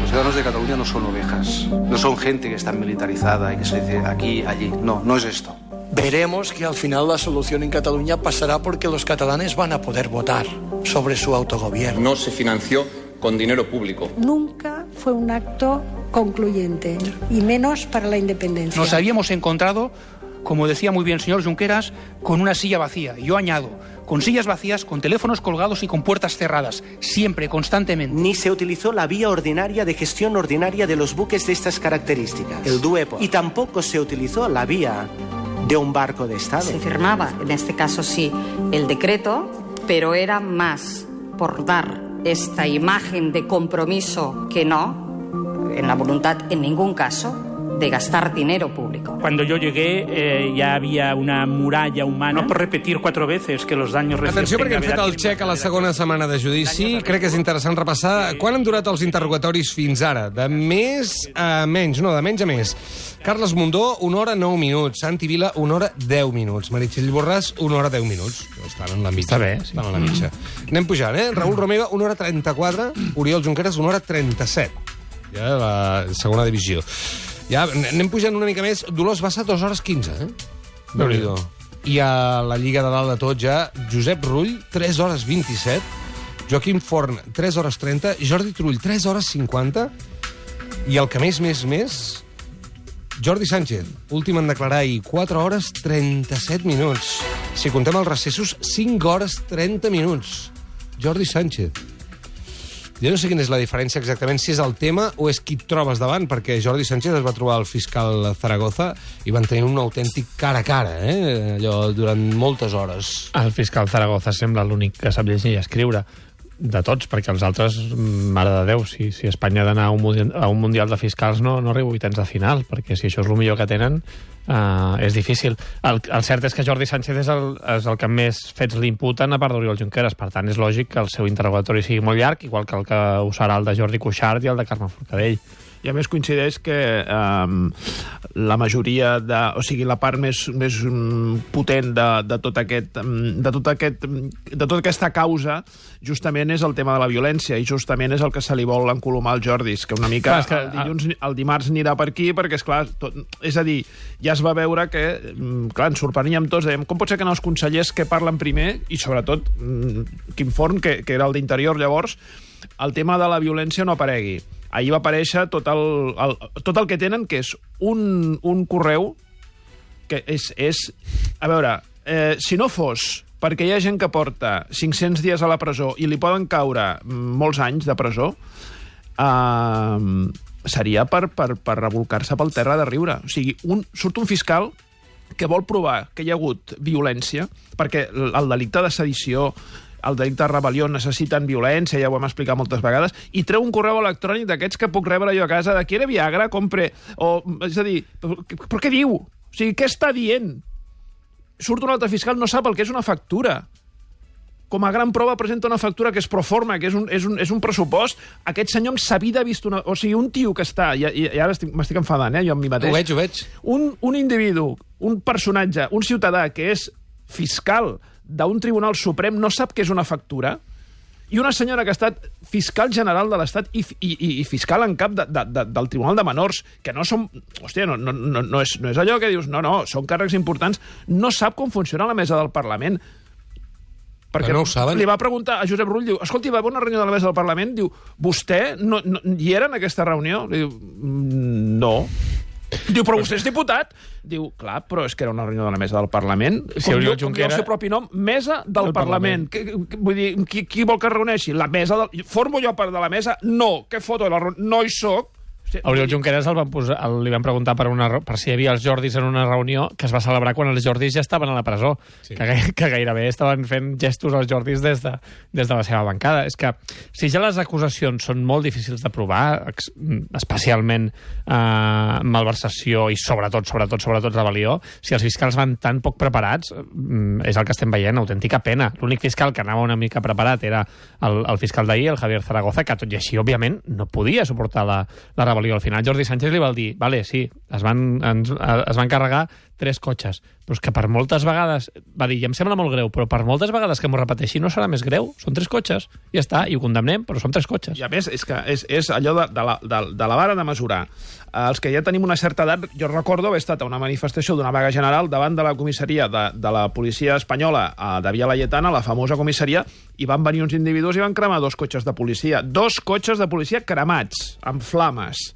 Los ciudadanos de Cataluña no son ovejas, no son gente que está militarizada y que se dice aquí, allí. No, no es esto. Veremos que al final la solución en Cataluña pasará porque los catalanes van a poder votar sobre su autogobierno. No se financió con dinero público. Nunca fue un acto concluyente, y menos para la independencia. Nos habíamos encontrado, como decía muy bien el señor Junqueras, con una silla vacía. Yo añado, con sillas vacías, con teléfonos colgados y con puertas cerradas, siempre, constantemente. Ni se utilizó la vía ordinaria de gestión ordinaria de los buques de estas características, el DUEPO, y tampoco se utilizó la vía de un barco de Estado. Se firmaba, en este caso sí, el decreto, pero era más por dar esta imagen de compromiso que no, en la voluntad en ningún caso, de gastar dinero público. Cuando yo llegué ya había una muralla humana. No por repetir 4 veces que los daños... Atenció, perquè hem fet el xec a la segona setmana de judici. Crec que és interessant repassar quan han durat els interrogatoris fins ara. De més a menys, no, de menys a més. Carles Mundó, 1 hora 9 minuts. Santi Vila, 1 hora 10 minuts. Meritxell Borràs, 1 hora 10 minuts. Estan en la mitja. Està bé, sí. Estan en la mitja. Anem pujant, Raül Romeva, 1 hora 34. Oriol Junqueras, 1 hora 37. Ja la segona divisió. Ja anem pujant una mica més. Dolors Bassa, 2 hores 15, Déu-n'hi-do. I a la Lliga de dalt de tot ja, Josep Rull, 3 hores 27. Joaquim Forn, 3 hores 30. Jordi Turull, 3 hores 50. I el que més, Jordi Sánchez, últim en declarar ahir, 4 hores 37 minuts. Si contem els recessos, 5 hores 30 minuts. Jordi Sánchez. Jo no sé quina és la diferència exactament, si és el tema o és qui et trobes davant, perquè Jordi Sánchez es va trobar el fiscal Zaragoza i van tenir un autèntic cara a cara, allò, durant moltes hores. El fiscal Zaragoza sembla l'únic que sap llegir i escriure de tots, perquè els altres, mare de Déu, si Espanya ha d'anar a un Mundial de Fiscals no arriba a vuitens de final, perquè si això és el millor que tenen, és difícil. El cert és que Jordi Sánchez és el que més fets li imputen, a part d'Oriol Junqueras. Per tant, és lògic que el seu interrogatori sigui molt llarg, igual que el que ho serà el de Jordi Cuixart i el de Carme Forcadell. I a més coincideix que la majoria o sigui, la part més potent de tota aquesta causa justament és el tema de la violència, i justament és el que se li vol encolomar al Jordi, que una mica el dimarts anirà per aquí, perquè és a dir, ja es va veure que, clar, ens sorpreníem tots, dèiem, com pot ser que els consellers que parlen primer, i sobretot Quim Forn, que era el d'Interior llavors, el tema de la violència no aparegui. Ahir va aparèixer tot el que tenen, que és un correu que és... A veure, si no fos perquè hi ha gent que porta 500 dies a la presó i li poden caure molts anys de presó, seria per revolcar-se pel terra de riure. O sigui, surt un fiscal que vol provar que hi ha hagut violència, perquè el delicte de sedició, el delicte de rebel·lió necessiten violència, ja ho hem explicat moltes vegades, i treu un correu electrònic d'aquests que puc rebre jo a casa, de quiere Viagra, compre... És a dir, però què diu? O sigui, què està dient? Surt un altre fiscal, no sap el que és una factura. Com a gran prova presenta una factura que és proforma, que és un pressupost. Aquest senyor amb sa vida ha vist una... O sigui, un tio que està... I ara m'estic enfadant, jo amb mi mateix. Ho veig. Un individu, un personatge, un ciutadà que és fiscal d'un tribunal suprem no sap què és una factura, i una senyora que ha estat fiscal general de l'Estat i fiscal en cap del Tribunal de Menors, que no són... Hòstia, no és allò que dius, no, són càrrecs importants, no sap com funciona la mesa del Parlament. Perquè no ho saben. Li va preguntar a Josep Rull, diu, escolti, va haver una reunió de la mesa del Parlament, diu, vostè hi era en aquesta reunió? Li diu, no. Diu, però vostè és diputat? Diu, clar, però és que era una reunió de la mesa del Parlament. Com diu el seu propi nom, mesa del Parlament. Vull dir, qui vol que es reuneixi? La mesa del... Formo jo part de la mesa? No. Què foto de la reunió? No hi soc. A Oriol Junqueras li van preguntar per si hi havia els Jordis en una reunió que es va celebrar quan els Jordis ja estaven a la presó, sí. que gairebé estaven fent gestos als Jordis des de la seva bancada. És que si ja les acusacions són molt difícils de provar, especialment malversació i sobretot rebel·lió, si els fiscals van tan poc preparats, és el que estem veient, autèntica pena. L'únic fiscal que anava una mica preparat era el fiscal d'ahir, el Javier Zaragoza, que tot i així, òbviament, no podia suportar la rebel·lió. Al final Jordi Sánchez li va dir, vale, sí, es van carregar 3 cotxes. Però és que per moltes vegades, va dir, i em sembla molt greu, però per moltes vegades que m'ho repeteixi no serà més greu, són 3 cotxes, ja està, i ho condemnem, però són 3 cotxes. I a més, és que és allò de la vara de mesurar. Els que ja tenim una certa edat, jo recordo haver estat a una manifestació d'una vaga general davant de la comissaria de la policia espanyola de Via Laietana, la famosa comissaria, i van venir uns individus i van cremar 2 cotxes de policia. 2 cotxes de policia cremats, amb flames.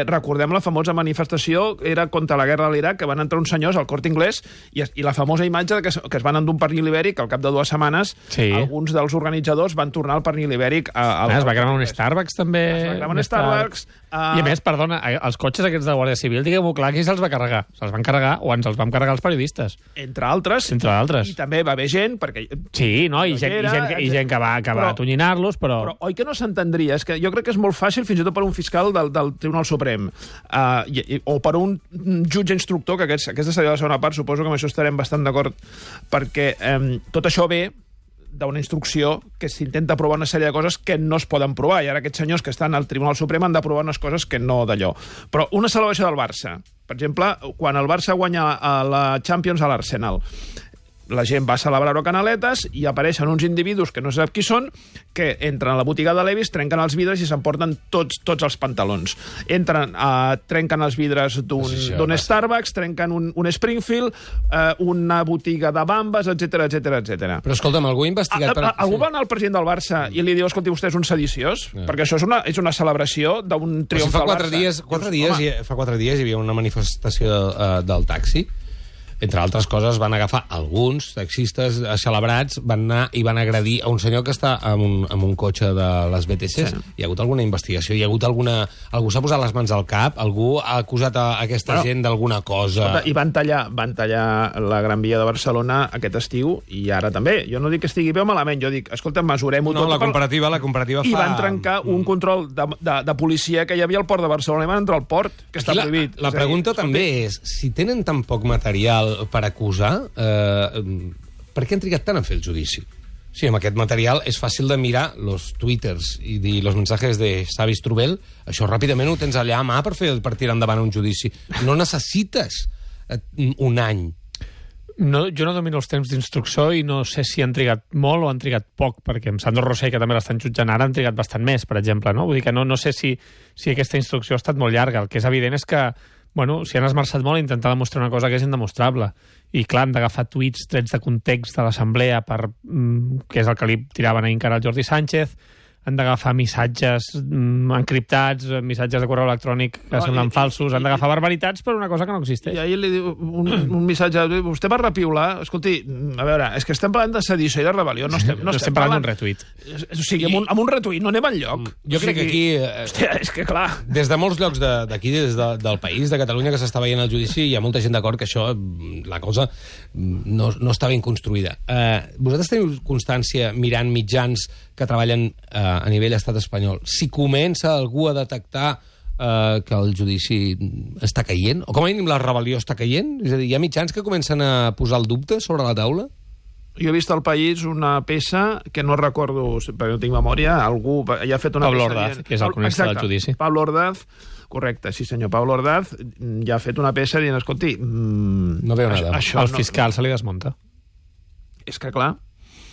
Recordem la famosa manifestació, era contra la guerra de l'Iraq, que van entrar uns senyors al Corte Inglés i la famosa imatge que es van endur un pernil ibèric, al cap de 2 setmanes alguns dels organitzadors van tornar al pernil ibèric. Es va cremar un Starbucks també. Es va cremar un Starbucks. I a més, perdona, els cotxes aquests de Guàrdia Civil, diguem-ho clar, qui se'ls va carregar? Se'ls van carregar o ens els vam carregar els periodistes. Entre altres. I també va haver gent, perquè... Sí, no? I gent que va atonyinar-los, però... Oi que no s'entendria? És que jo crec que és molt fàcil, fins i tot per un fiscal del Tribunal Suprem, o per un jutge instructor, que aquesta seria la segona part, suposo que amb això estarem bastant d'acord, perquè tot això ve d'una instrucció que s'intenta provar una sèrie de coses que no es poden provar, i ara aquests senyors que estan al Tribunal Suprem han de provar unes coses que no d'allò. Però una salvació del Barça, per exemple, quan el Barça guanya la Champions a l'Arsenal, la gent va celebrar-ho a Canaletes i apareixen uns individus que no sap qui són, que entren a la botiga de Levi's, trenquen els vidres i s'emporten tots els pantalons. Trenquen els vidres d'un Starbucks, trenquen un Springfield, una botiga de bambes, etc. Però escolta'm, algú ha investigat... Algú va anar al president del Barça i li diu, escolti, vostè és un sediciós? Perquè això és una celebració d'un triomf del Barça. Fa 4 dies hi havia una manifestació del taxi. Entre altres coses, van agafar alguns taxistes celebrats, van anar i van agredir a un senyor que està amb un cotxe de les BTCs. Sí. Hi ha hagut alguna investigació? Hi ha hagut alguna... Algú s'ha posat les mans al cap? Algú ha acusat a aquesta gent d'alguna cosa? Escolta, i van tallar la Gran Via de Barcelona aquest estiu, i ara també. Jo no dic que estigui bé o malament, jo dic, escolta, mesurem-ho tot. No, la comparativa fa... I van trencar un control de policia que hi havia al port de Barcelona, i van entrar al port, que està prohibit. La pregunta també és, si tenen tan poc material per acusar, per què han trigat tant a fer el judici? Sí, amb aquest material és fàcil de mirar los twitters i dir los mensajes de Xavi Strubel, això ràpidament ho tens allà a mà per tirar endavant un judici. No necessites un any. No, jo no domino els temps d'instrucció i no sé si han trigat molt o han trigat poc, perquè amb Sandro Rosell, que també l'estan jutjant ara, han trigat bastant més, per exemple, no? Vull dir que no sé si aquesta instrucció ha estat molt llarga. El que és evident és que si han esmerçat molt a intentar demostrar una cosa que és indemostrable. I, clar, han d'agafar tuits trets de context de l'Assemblea, que és el que li tiraven ahir encara al Jordi Sánchez, han d'agafar missatges encriptats, missatges de correu electrònic que semblen falsos, han d'agafar barbaritats per una cosa que no existeix. I ahir li diu un missatge, vostè va repiular, escolti, a veure, és que estem parlant de sedició i de rebel·lió, no estem parlant d'un retuit. O sigui, amb un retuit no anem enlloc. Jo crec que aquí... Hòstia, és que clar... Des de molts llocs d'aquí, des del país, de Catalunya, que s'està veient el judici, hi ha molta gent d'acord que això, la cosa, no està ben construïda. Vosaltres teniu constància, mirant mitjans que treballen a nivell estat espanyol, si comença algú a detectar que el judici està caient? O com a mínim la rebel·lió està caient? És a dir, hi ha mitjans que comencen a posar el dubte sobre la taula? Jo he vist al País una peça que no recordo, perquè no tinc memòria, algú ja ha fet una Pablo peça... Ordaz, que és el cronista del judici. Pablo Ordaz, correcte, sí senyor, Pablo Ordaz ja ha fet una peça dient, escolti... No veu nada. El fiscal se li desmunta. És que clar...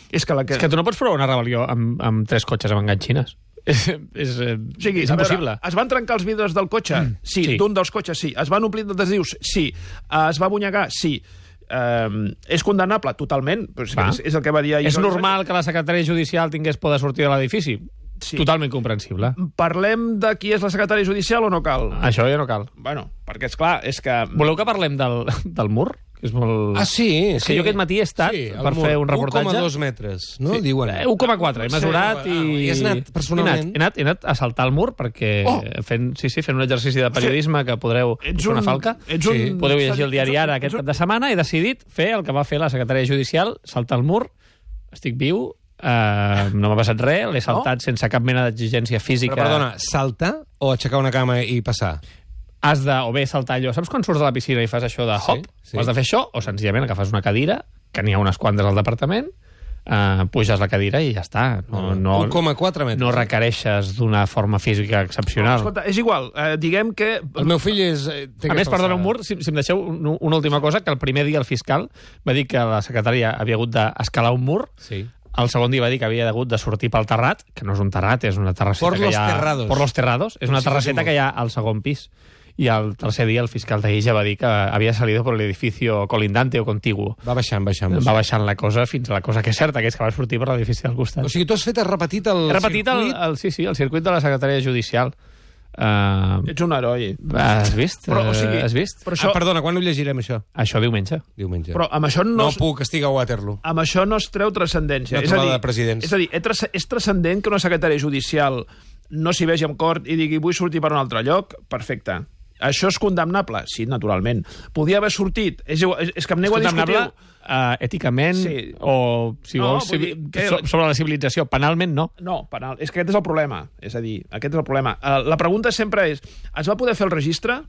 És que tu no pots provar una rebel·lió amb 3 cotxes amb enganxines. És impossible. Es van trencar els vidres del cotxe? Sí. D'un dels cotxes, sí. Es van omplir d'adhesius? Sí. Es va bunyegar? Sí. És condemnable? Totalment. És el que va dir ahir. És normal que la secretària judicial tingués por de sortir de l'edifici? Sí. Totalment comprensible. Parlem de qui és la secretària judicial o no cal? Això ja no cal. Bueno, perquè és clar, és que... Voleu que parlem del mur? És molt... Ah, sí. És que jo aquest matí he estat per fer un reportatge... 1,2 metres, no? Sí. Diuen. 1,4. He mesurat i... I has anat personalment? He anat a saltar el mur perquè fent un exercici de periodisme que podreu... Ets una falca. Podeu llegir el diari Ara aquest cap de setmana. He decidit fer el que va fer la secretària judicial, saltar el mur. Estic viu, no m'ha passat res, l'he saltat sense cap mena d'exigència física. Però perdona, saltar o aixecar una cama i passar? Has de, o bé saltar allò, saps quan surts de la piscina i fas això de hop? Sí. Has de fer això, o senzillament agafes una cadira, que n'hi ha unes quantes al departament, puges la cadira i ja està. 1,4 metres. No requereixes d'una forma física excepcional. Escolta, és igual, diguem que... El meu fill és... A més, perdona, un mur, si em deixeu una última cosa, que el primer dia el fiscal va dir que la secretària havia hagut d'escalar un mur. Sí. El segon dia va dir que havia hagut de sortir pel terrat, que no és un terrat, és una terrasseta que hi ha... Por los terrados. És una terrasseta que hi ha al segon pis. I el tercer dia el fiscal d'Illa va dir que havia salido por el edificio colindante o contiguo. Va baixant. Va baixant la cosa fins a la cosa que és certa, que és que va sortir per l'edifici del costat. O sigui, tu has repetit el circuit? Sí, el circuit de la secretària judicial. Ets un heroi. Has vist? Però, o sigui, has vist? Però això... perdona, quan ho llegirem, això? Això diumenge. Però amb això no puc, estic a Waterloo. Amb això no es treu transcendència. Una trobada de presidents. És a dir, és transcendent que una secretària judicial no s'hi vegi en cort i digui vull sortir per un altre lloc, perfecte. Això és condemnable? Sí, naturalment. Podia haver sortit. És que em nego a discutir... Èticament, sí. O, si vols, sobre la civilització. Penalment, no. No, penal. És que aquest és el problema. És a dir, aquest és el problema. La pregunta sempre és, es va poder fer el registre?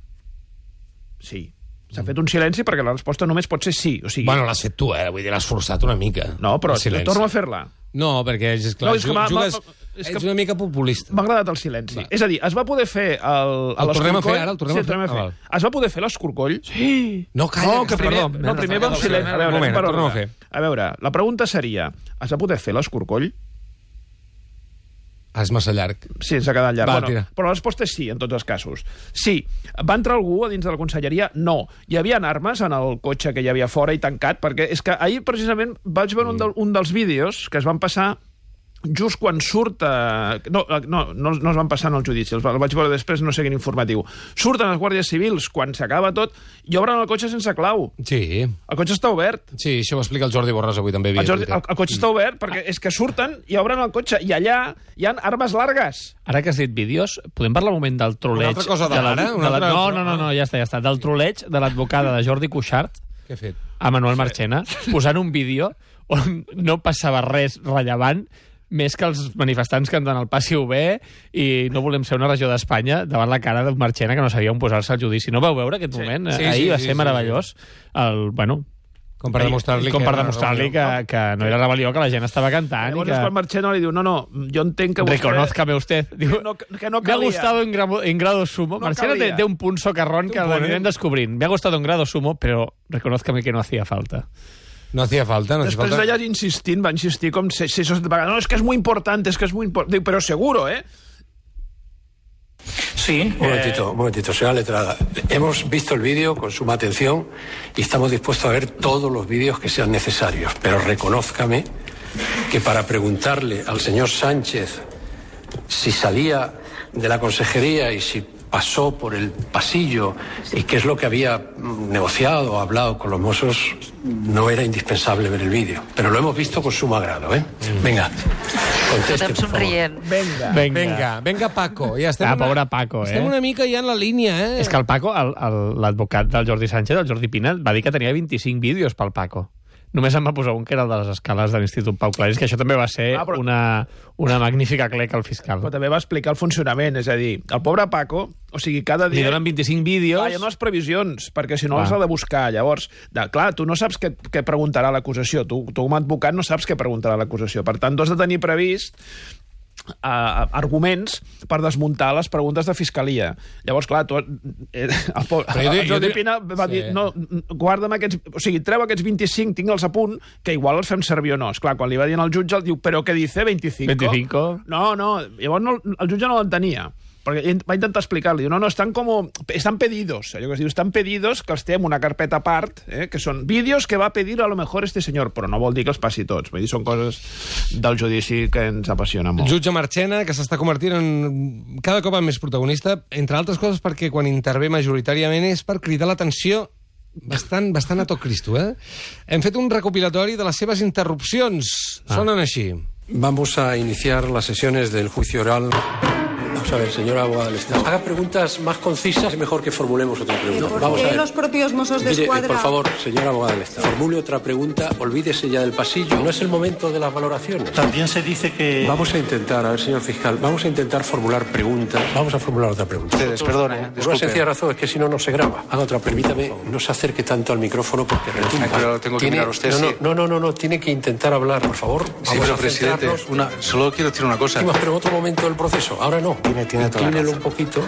Sí. S'ha fet un silenci perquè la resposta només pot ser sí. O sigui... Bueno, l'has fet tu, Vull dir, l'has forçat una mica. No, però torno a fer-la. No, perquè, és clar, ets una mica populista. M'ha agradat el silenci. Va. És a dir, es va poder fer el tornem a fer ara? El tornem a fer. Es va poder fer l'escorcoll? Sí! No, calla, primer va un silenci. A veure, la pregunta seria, es va poder fer l'escorcoll? És massa llarg. Sí, ens ha quedat llarg. Va, però la resposta és sí, en tots els casos. Sí. Va entrar algú a dins de la conselleria? No. Hi havia armes en el cotxe que hi havia fora i tancat, perquè és que ahir, precisament, vaig veure un dels vídeos que es van passar just quan surt... No es van passar en el judici, el vaig veure després, no sé quin informatiu. Surten els guàrdies civils quan s'acaba tot i obren el cotxe sense clau. Sí. El cotxe està obert. Sí, això ho explica el Jordi Borràs avui també. El cotxe està obert perquè és que surten i obren el cotxe i allà hi ha armes largues. Ara que has dit vídeos, podem parlar un moment del troleig... Una altra cosa d'ara? No, ja està. Del troleig de l'advocada de Jordi Cuixart a Manuel Marchena, posant un vídeo on no passava res rellevant més que els manifestants cantant el passi bé i no volem ser una regió d'Espanya davant la cara d'un Marchena que no sabia on posar-se al judici. No vau veure aquest moment? Ahir va ser meravellós. Com per demostrar-li que no era rebel·lió, que la gent estava cantant. Llavors quan Marchena li diu, no, jo entenc que vostè... Reconózcame usted. Diu, que no me ha gustado en grado sumo. No Marchena té un punt socarrón que l'anirem descobrint. Me ha gustado en grado sumo, pero reconózcame que no hacía falta. No hacía falta. Després d'allà insistint, va insistir com 6 o 7 vegades. No, es que es muy importante, Digo, pero seguro, ¿eh? Sí. Un momentito, señora letrada. Hemos visto el vídeo con suma atención y estamos dispuestos a ver todos los vídeos que sean necesarios. Pero reconózcame que para preguntarle al señor Sánchez si salía de la consejería y si pasó por el pasillo y qué es lo que había negociado o hablado con los mozos, no era indispensable ver el vídeo. Pero lo hemos visto con sumo agrado, ¿eh? Venga, conteste, por favor. Venga, Paco. Ja estem pobre Paco, Estem una mica ja en la línia, És que el Paco, l'advocat del Jordi Sánchez, el Jordi Pina, va dir que tenia 25 vídeos pel Paco. Només em va posar un que era el de les escales de l'Institut Pau Claris, que això també va ser una magnífica clec al fiscal. Però també va explicar el funcionament, és a dir, el pobre Paco, o sigui, cada dia... Li donen 25 vídeos... Hi ha unes previsions, perquè si no els ha de buscar. Llavors, clar, tu no saps què preguntarà l'acusació. Tu com a advocat no saps què preguntarà l'acusació. Per tant, tu has de tenir previst arguments per desmuntar les preguntes de fiscalia. Llavors, clar, el Jordi Pina va dir, no, guarda'm aquests... O sigui, treu aquests 25, tingue'ls a punt, que igual els fem servir o no. Esclar, quan li va dir al jutge, el diu, però què dice 25? 25? No, llavors el jutge no l'entenia. Perquè va intentar explicar-li, no, están pedidos, allò que es diu, estan pedidos, que els té en una carpeta a part, que són vídeos que va pedir a lo mejor este senyor, però no vol dir que els passi tots, vull dir, són coses del judici que ens apassionen molt. El jutge Marchena, que s'està convertint en cada cop més protagonista, entre altres coses perquè quan intervé majoritàriament és per cridar l'atenció bastant a tot Cristo, Hem fet un recopilatori de les seves interrupcions. Sonen així. Vamos a iniciar las sesiones del juicio oral... Vamos a ver, señora abogada del Estado. Haga preguntas más concisas, es mejor que formulemos otra pregunta. ¿Por qué los propios Mossos d'Esquadra? Por favor, señora abogada del Estado, formule otra pregunta, olvídese ya del pasillo. No es el momento de las valoraciones. También se dice que... Vamos a intentar, a ver, señor fiscal, vamos a intentar formular preguntas. Vamos a formular otra pregunta. Ustedes, perdone, Por una sencilla razón, es que si no, no se graba. Haga otra, permítame, no se acerque tanto al micrófono porque retumba. Pero tengo que mirar a usted, No, tiene que intentar hablar, por favor. Sí, pero presidente, solo quiero decir una cosa. Pero en otro momento del proceso, ahora no. Inclínelo un poquito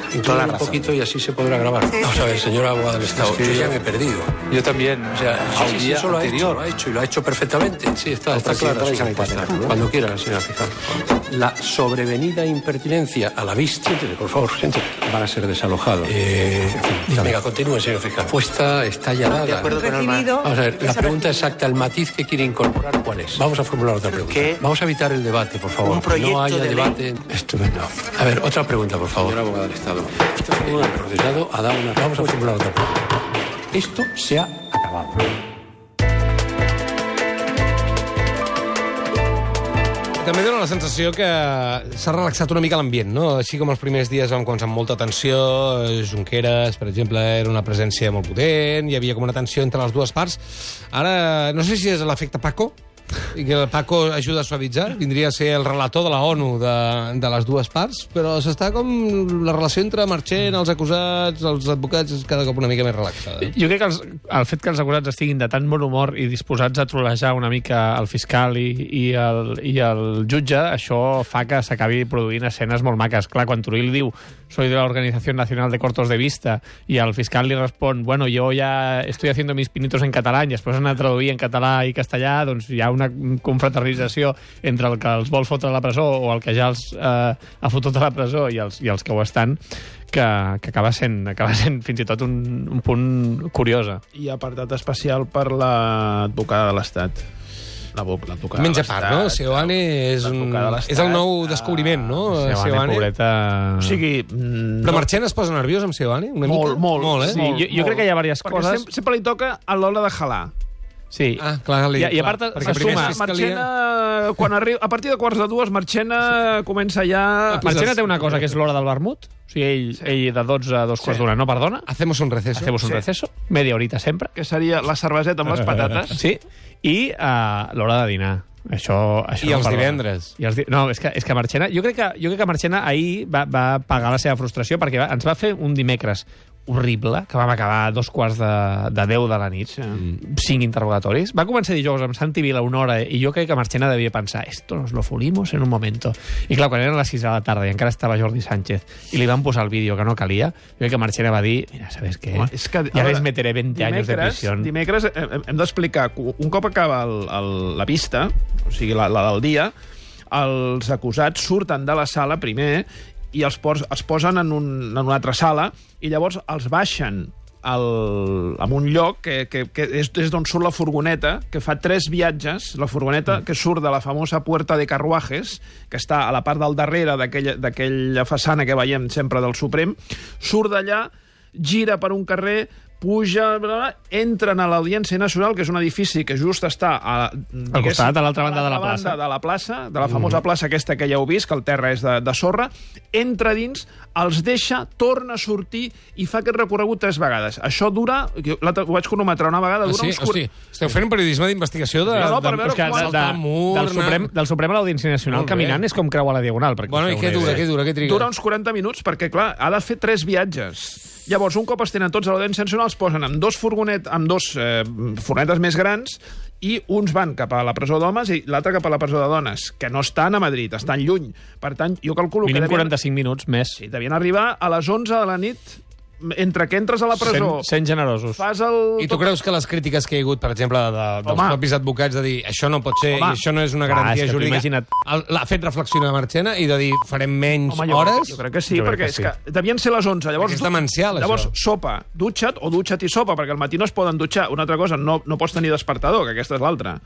y así se podrá grabar. Vamos a ver, señora abogada del Estado, yo ya me he perdido. Yo también. O sea, sí, eso lo ha hecho y lo ha hecho perfectamente. Sí, está claro. Cuando quiera, señora fiscal. La sobrevenida impertinencia a la vista, por favor, siéntese, van a ser desalojados. Venga, continúe, señor fiscal. Está ya dada. De acuerdo con el Vamos a ver, la pregunta exacta, el matiz que quiere incorporar, ¿cuál es? Vamos a formular otra pregunta. Vamos a evitar el debate, por favor. No haya debate. Estupendo. A ver, otra pregunta, por favor. Señora abogada del Estado. El procesado ha dado una... Vamos a formular otra pregunta. Esto se ha acabado. També dona la sensació que s'ha relaxat una mica l'ambient, no? Així com els primers dies vam començar amb molta tensió, Junqueras, per exemple, era una presència molt potent, hi havia com una tensió entre les dues parts. Ara, no sé si és l'efecte Paco, i que el Paco ajuda a suavitzar, vindria a ser el relator de la ONU de les dues parts, però s'està com la relació entre Marchena, els acusats, els advocats, és cada cop una mica més relaxada. Jo crec que el fet que els acusats estiguin de tan bon humor i disposats a trolejar una mica el fiscal i el jutge, això fa que s'acabi produint escenes molt maques. Clar, quan Turull diu soy de la Organización Nacional de Cortos de Vista i el fiscal li respon, bueno, yo ya estoy haciendo mis pinitos en català i després han de traduir en català i castellà, doncs hi ha una confraternització entre el que els vol fotre a la presó o el que ja els ha fotut a la presó i els que ho estan, que acaba sent fins i tot un punt curiosa. I apartat especial per l'advocada de l'Estat. Menys a part, no? Seoane és el nou descobriment, no? Seoane, pobreta... O sigui... Però Marchena es posa nerviós amb Seoane? Molt, eh? Sí, jo crec que hi ha diverses coses... Perquè sempre li toca a l'hora de jalar. Sí. Clar, I a part se suma... Marchena, quan arriba, a partir de 1:45, Marchena comença ja... Marchena té una cosa, que és l'hora del vermut. O sigui, ell de 12 a 2:45 no perdona. Hacemos un receso. Media horita sempre. Que seria la cerveseta amb les patates. Sí. I l'hora de dinar. Això I els divendres. No, és que Marchena... Jo crec que Marchena ahir va pagar la seva frustració perquè ens va fer un dimecres horrible, que vam acabar a 2:45 de la nit, 5 interrogatoris. Va començar dijous amb Santi Vila una hora i jo crec que Marchena devia pensar esto nos lo fulimos en un momento. I clar, quan eren les 6 de la tarda i encara estava Jordi Sánchez i li van posar el vídeo que no calia, jo crec que Marchena va dir, mira, ¿sabes qué? Ja les meteré 20 anys de prisió. Dimecres hem d'explicar, un cop acaba la vista, o sigui, la del dia, els acusats surten de la sala primer i es posen en una altra sala i llavors els baixen en un lloc que és d'on surt la furgoneta, que fa 3 viatges, la furgoneta que surt de la famosa Puerta de Carruajes, que està a la part del darrere d'aquella façana que veiem sempre del Suprem, surt d'allà, gira per un carrer, puja, entren a l'Audiència Nacional, que és un edifici que just està al costat, a l'altra banda de la plaça. De la plaça, de la famosa plaça aquesta que ja heu vist, que el terra és de sorra, entra dins, els deixa, torna a sortir i fa aquest recorregut 3 vegades. Això dura, ho vaig cronometrar una vegada, dura uns... Hosti, esteu fent un periodisme d'investigació del Suprem a l'Audiència Nacional caminant, és com creuar la Diagonal. Bueno, i què dura? Què triga? Dura uns 40 minuts, perquè, clar, ha de fer 3 viatges. Llavors, un cop es tenen tots a l'Audiència Nacional, es posen amb dos furgonetes més grans i uns van cap a la presó d'homes i l'altre cap a la presó de dones, que no estan a Madrid, estan lluny. Per tant, jo calculo que... Mínim 45 minuts més. Sí, devien arribar a les 11 de la nit, entre que entres a la presó... Sent generosos. I tu creus que les crítiques que hi ha hagut, per exemple, dels propis advocats, de dir això no pot ser i això no és una garantia jurídica, l'ha fet reflexionar Marchena i de dir farem menys hores? Jo crec que sí, perquè és que devien ser les 11. És demencial, això. Llavors, sopa, dutxa't o dutxa't i sopa, perquè al matí no es poden dutxar. Una altra cosa, no pots tenir despertador, que aquesta és l'altra.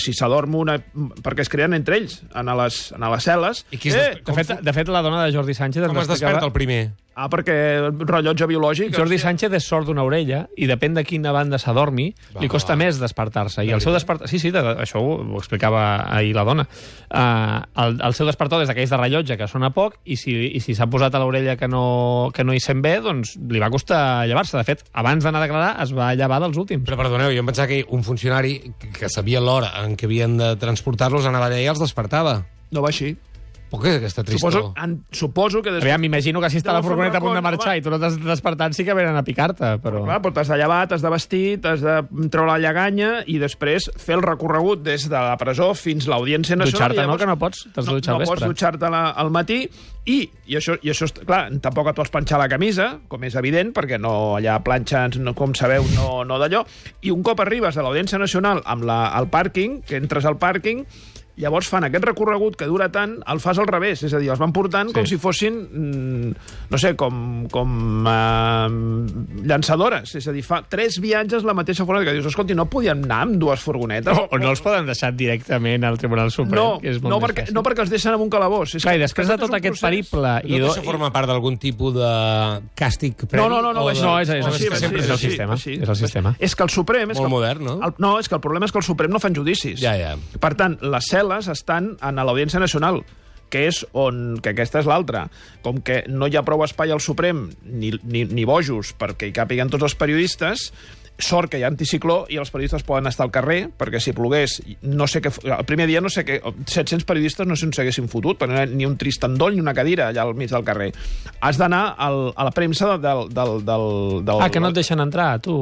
Si s'adorm una... Perquè es creen entre ells, a les cel·les... De fet, la dona de Jordi Sánchez... Com es desperta el primer? perquè rellotge biològic... Jordi Sánchez és sord d'una orella i depèn de quina banda s'adormi, li costa més despertar-se. I el seu despertar... Sí, això ho explicava ahir la dona. El seu despertador és d'aquells de rellotge que sona poc i si s'ha posat a l'orella que no hi sent bé, doncs li va costar llevar-se. De fet, abans d'anar a declarar es va llevar dels últims. Però perdoneu, jo em pensava que un funcionari que sabia l'hora en què havien de transportar-los anava allà i els despertava. No va així. Per què aquesta tristor? Suposo que... Aviam, m'imagino que si està la furgoneta a punt de marxar i tu no t'has despertat, sí que venen a picar-te, però... Clar, però t'has de llevar, t'has de vestir, t'has de treure la lleganya i després fer el recorregut des de la presó fins a l'Audiència Nacional. Dutxar-te, no? Que no pots? T'has de dutxar al vespre. No pots dutxar-te al matí i això, clar, tampoc et pots planxar la camisa, com és evident, perquè no allà planxes, com sabeu, no d'allò. I un cop arribes a l'Audiència Nacional amb el pàrquing, que entres al pàrquing, llavors fan aquest recorregut que dura tant, el fas al revés, és a dir, els van portant com si fossin, no sé, com llançadores, és a dir, fa 3 viatges la mateixa furgoneta, que dius, escolti, no podien anar amb 2 furgonetes? O no els poden deixar directament al Tribunal Suprem, que és molt més fàcil. No, perquè els deixen en un calabós. Clar, i després de tot aquest periple... No això forma part d'algun tipus de càstig previ? No, és el sistema. És el sistema. És que el Suprem... Molt modern, no? No, és que el problema és que el Suprem no fan judicis. Ja. Per tant, les cel·les estan a l'Audiència Nacional, que aquesta és l'altra. Com que no hi ha prou espai al Suprem, ni bojos, perquè hi càpiguen tots els periodistes, sort que hi ha anticicló i els periodistes poden estar al carrer, perquè si plogués, no sé què... El primer dia, no sé què... 700 periodistes no sé on s'haguessin fotut, perquè no hi ha ni un trist endoll ni una cadira allà al mig del carrer. Has d'anar a la premsa del... que no et deixen entrar, tu...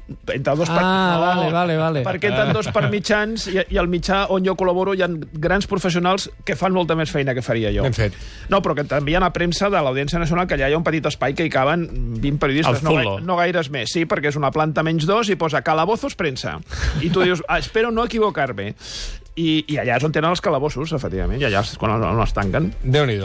Entre dos vale. Perquè entren 2 per mitjans i al mitjà on jo col·laboro hi ha grans professionals que fan molta més feina que faria jo. Ben fet. No, però que també hi ha a premsa de l'Audiència Nacional, que allà hi ha un petit espai que hi caben 20 periodistes, no gaires més. Sí, perquè és una planta menys 2 i posa calabozos premsa. I tu dius, espero no equivocar-me. I allà és on tenen els calabossos, efectivament, i allà és quan els tanquen. Déu-n'hi-do.